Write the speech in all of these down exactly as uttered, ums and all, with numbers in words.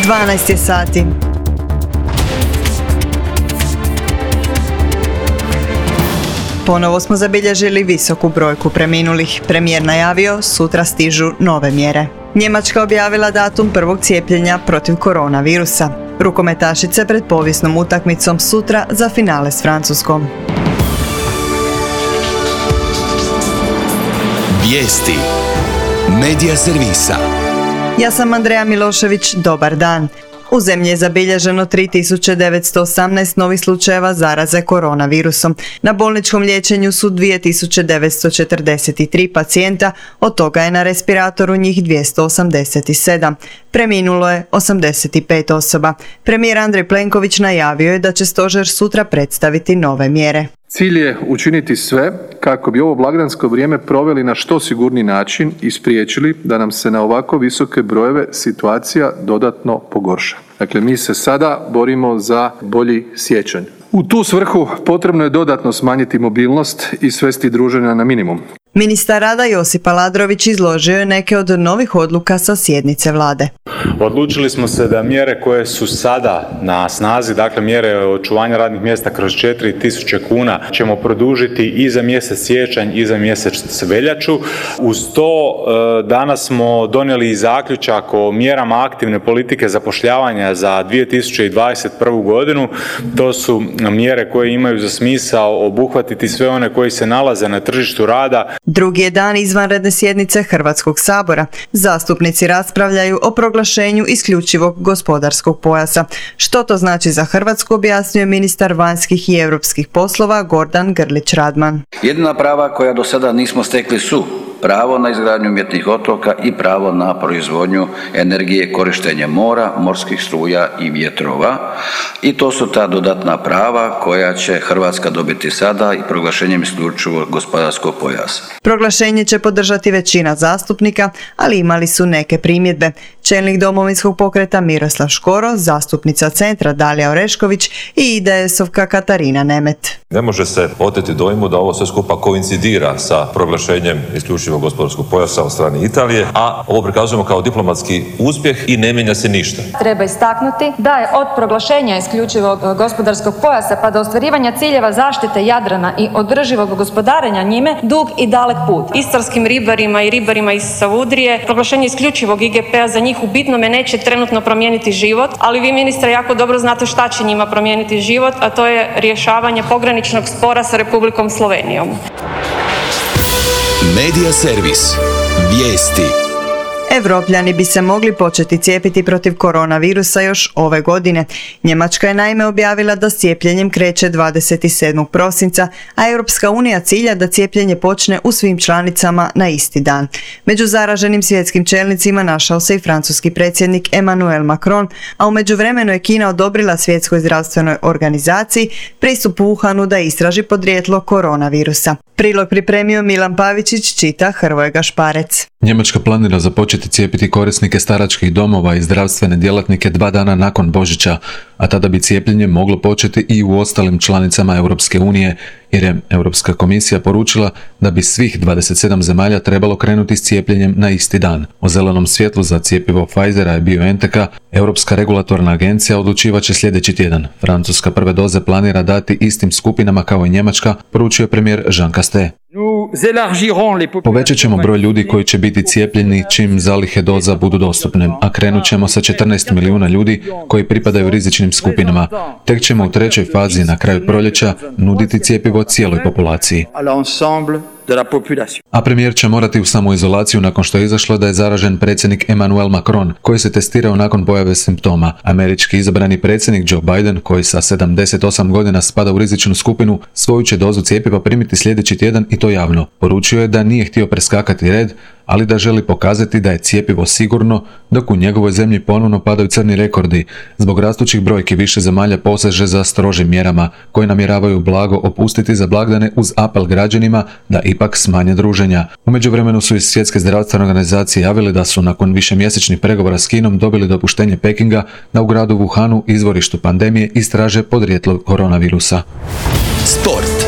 dvanaest je sati. Ponovo smo zabilježili visoku brojku preminulih. Premijer najavio, sutra stižu nove mjere. Njemačka objavila datum prvog cijepljenja protiv koronavirusa. Rukometašice pred povijesnom utakmicom sutra za finale s Francuskom. Vijesti Medija servisa. Ja sam Andreja Milošević, dobar dan. U zemlji je zabilježeno tri tisuće devetsto osamnaest novih slučajeva zaraze koronavirusom. Na bolničkom liječenju su dvije tisuće devetsto četrdeset tri pacijenta, od toga je na respiratoru njih dvjesto osamdeset sedam. Preminulo je osamdeset pet osoba. Premijer Andrej Plenković najavio je da će stožer sutra predstaviti nove mjere. Cilj je učiniti sve kako bi ovo blagdansko vrijeme proveli na što sigurniji način i spriječili da nam se na ovako visoke brojeve situacija dodatno pogorša. Dakle, mi se sada borimo za bolji siječanj. U tu svrhu potrebno je dodatno smanjiti mobilnost i svesti druženja na minimum. Ministar rada Josip Aladrović izložio je neke od novih odluka sa sjednice vlade. Odlučili smo se da mjere koje su sada na snazi, dakle mjere očuvanja radnih mjesta kroz četiri tisuće kuna, ćemo produžiti i za mjesec siječanj i za mjesec veljaču. Uz to danas smo donijeli i zaključak o mjerama aktivne politike zapošljavanja za dvije tisuće dvadeset prvu godinu. To su mjere koje imaju za smisao obuhvatiti sve one koji se nalaze na tržištu rada. Drugi je dan izvanredne sjednice Hrvatskog sabora. Zastupnici raspravljaju o proglašenju isključivog gospodarskog pojasa. Što to znači za Hrvatsku, objasnio ministar vanjskih i europskih poslova Gordan Grlić Radman. Jedina prava koja do sada nismo stekli su pravo na izgradnju umjetnih otoka i pravo na proizvodnju energije korištenjem mora, morskih struja i vjetrova. I to su ta dodatna prava koja će Hrvatska dobiti sada i proglašenjem isključivog gospodarskog pojasa. Proglašenje će podržati većina zastupnika, ali imali su neke primjedbe. Čelnik Domovinskog pokreta Miroslav Škoro, zastupnica Centra Dalija Orešković i I D S-ovka Katarina Nemet. Ne može se oteti dojmu da ovo sve skupa koincidira sa proglašenjem isključivog gospodarskog pojasa od strane Italije, a ovo prikazujemo kao diplomatski uspjeh i ne mijenja se ništa. Treba istaknuti da je od proglašenja isključivog gospodarskog pojasa pa do ostvarivanja ciljeva zaštite Jadrana i održivog gospodarenja njime dug i dalek put. Istarskim ribarima i ribarima iz Savudrije proglašenje isključivog I G P-a za njih u bitnome neće trenutno promijeniti život, ali vi, ministre, jako dobro znate šta će njima promijeniti život, a to je rješavanje pograničnog spora sa Republikom Slovenijom. Medija servis. Vijesti. Evropljani bi se mogli početi cijepiti protiv koronavirusa još ove godine. Njemačka je naime objavila da s cijepljenjem kreće dvadeset sedmog prosinca, a Europska unija cilja da cijepljenje počne u svim članicama na isti dan. Među zaraženim svjetskim čelnicima našao se i francuski predsjednik Emmanuel Macron, a u međuvremenu je Kina odobrila Svjetskoj zdravstvenoj organizaciji pristup Wuhanu da istraži podrijetlo koronavirusa. Prilog pripremio Milan Pavičić, čita Hrvoje Gašparec. Njemačka planira započeti cijepiti korisnike staračkih domova i zdravstvene djelatnike dva dana nakon Božića, a tada bi cijepljenje moglo početi i u ostalim članicama Europske unije, jer je Europska komisija poručila da bi svih dvadeset sedam zemalja trebalo krenuti s cijepljenjem na isti dan. O zelenom svjetlu za cjepivo Pfizera i BioNTecha Europska regulatorna agencija odlučivat će sljedeći tjedan. Francuska prve doze planira dati istim skupinama kao i Njemačka, poručio premijer Jean Castex. Povećat ćemo broj ljudi koji će biti cijepljeni čim zalihe doza budu dostupne, a krenut ćemo sa četrnaest milijuna ljudi koji pripadaju rizičnim skupinama. Tek ćemo u trećoj fazi na kraju proljeća nuditi cjepivo cijeloj populaciji. A premijer će morati u samoizolaciju nakon što je izašlo da je zaražen predsjednik Emmanuel Macron, koji se testirao nakon pojave simptoma. Američki izabrani predsjednik Joe Biden, koji sa sedamdeset osam godina spada u rizičnu skupinu, svoju će dozu cjepiva primiti sljedeći tjedan i to javno. Poručio je da nije htio preskakati red, ali da želi pokazati da je cjepivo sigurno, dok u njegovoj zemlji ponovno padaju crni rekordi. Zbog rastućih brojki više zemalja poseže za strožim mjerama, koje namjeravaju blago opustiti za blagdane uz apel građanima da ipak smanje druženja. U međuvremenu su iz Svjetske zdravstvene organizacije javili da su nakon višemjesečnih pregovora s Kinom dobili dopuštenje Pekinga da u gradu Wuhanu, izvorištu pandemije, istraže podrijetlo koronavirusa. Sport.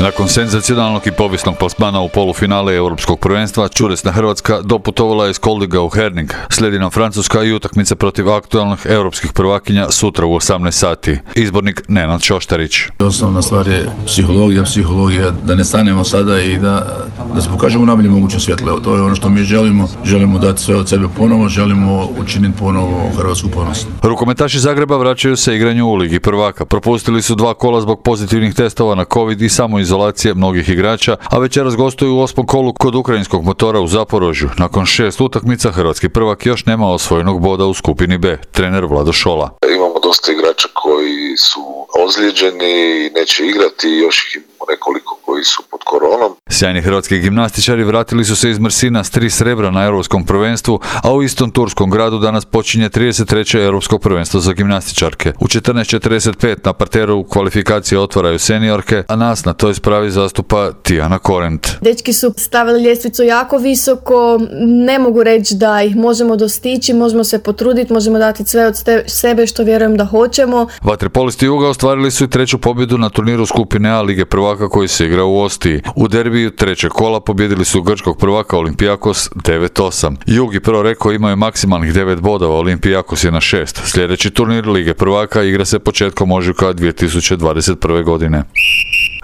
Nakon senzacionalnog i povijesnog plasmana u polufinale Europskog prvenstva, čudesna Hrvatska doputovala je iz Koldiga u Herning. Slijedi nam Francuska i utakmica protiv aktualnih europskih prvakinja sutra u osamnaest sati. Izbornik Nenad Šoštarić. Osnovna stvar je psihologija, psihologija, da ne stanemo sada i da, da se pokažemo najbolje moguće svjetlo. To je ono što mi želimo. Želimo dati sve od sebe ponovo, želimo učiniti ponovo Hrvatsku ponosnu. Rukometaši Zagreba vraćaju se igranju u Ligi prvaka. Propustili su dva kola zbog pozitivnih testova na COVID i samoizolacije mnogih igrača, a večeras gostuju u osmom kolu kod ukrajinskog Motora u Zaporožju. Nakon šest utakmica hrvatski prvak još nema osvojenog boda u skupini B. Trener Vlado Šola. Imamo dosta igrača koji su ozlijeđeni i neće igrati, još ih imamo nekoliko koji su pod koronom. Sjajni hrvatski gimnastičari vratili su se iz Mrsina s tri srebra na Europskom prvenstvu, a u istom turskom gradu danas počinje trideset treće Europsko prvenstvo za gimnastičarke. U četrnaest četrdeset pet na parteru kvalifikacije otvaraju seniorke, a nas na toj spravi zastupa Tijana Korent. Dečki su stavili ljestvicu jako visoko, ne mogu reći da ih možemo dostići, možemo se potruditi, možemo dati sve od sebe što vjerujem da hoćemo. Vaterpolisti Juga ostvarili su i treću pobjedu na turniru skupine A Lige prvaka koji se igra u Ostiji. U derbiju trećeg kola pobjedili su grčkog prvaka Olympiakos devet osam. Jug i Pro Reko imaju maksimalnih devet bodova, Olympiakos je na šest. Sljedeći turnir Lige prvaka igra se početkom ožujka dvije tisuće dvadeset prve. godine.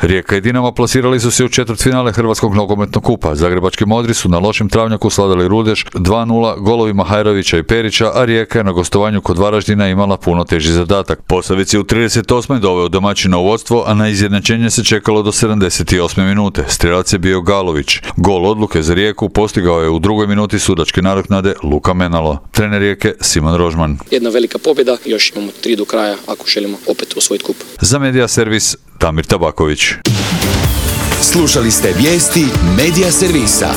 Rijeka i Dinamo plasirali su se u četvrtfinale Hrvatskog nogometnog kupa. Zagrebački modri su na lošem travnjaku sladali Rudeš dva nula golovima Hajrovića i Perića, a Rijeka je na gostovanju kod Varaždina imala puno teži zadatak. Posavec je u trideset osmoj doveo domaćina u vodstvo, a na izjednačenje se čekalo do sedamdeset osme minute. Strelac je bio Galović. Gol odluke za Rijeku postigao je u drugoj minuti sudačke nadoknade Luka Menalo. Trener Rijeke Simon Rožman. Jedna velika pobjeda, još imamo tri do kraja ako želimo opet osvojiti kup. Za Media Servis Damir Tabaković. Slušali ste vijesti Media Servisa.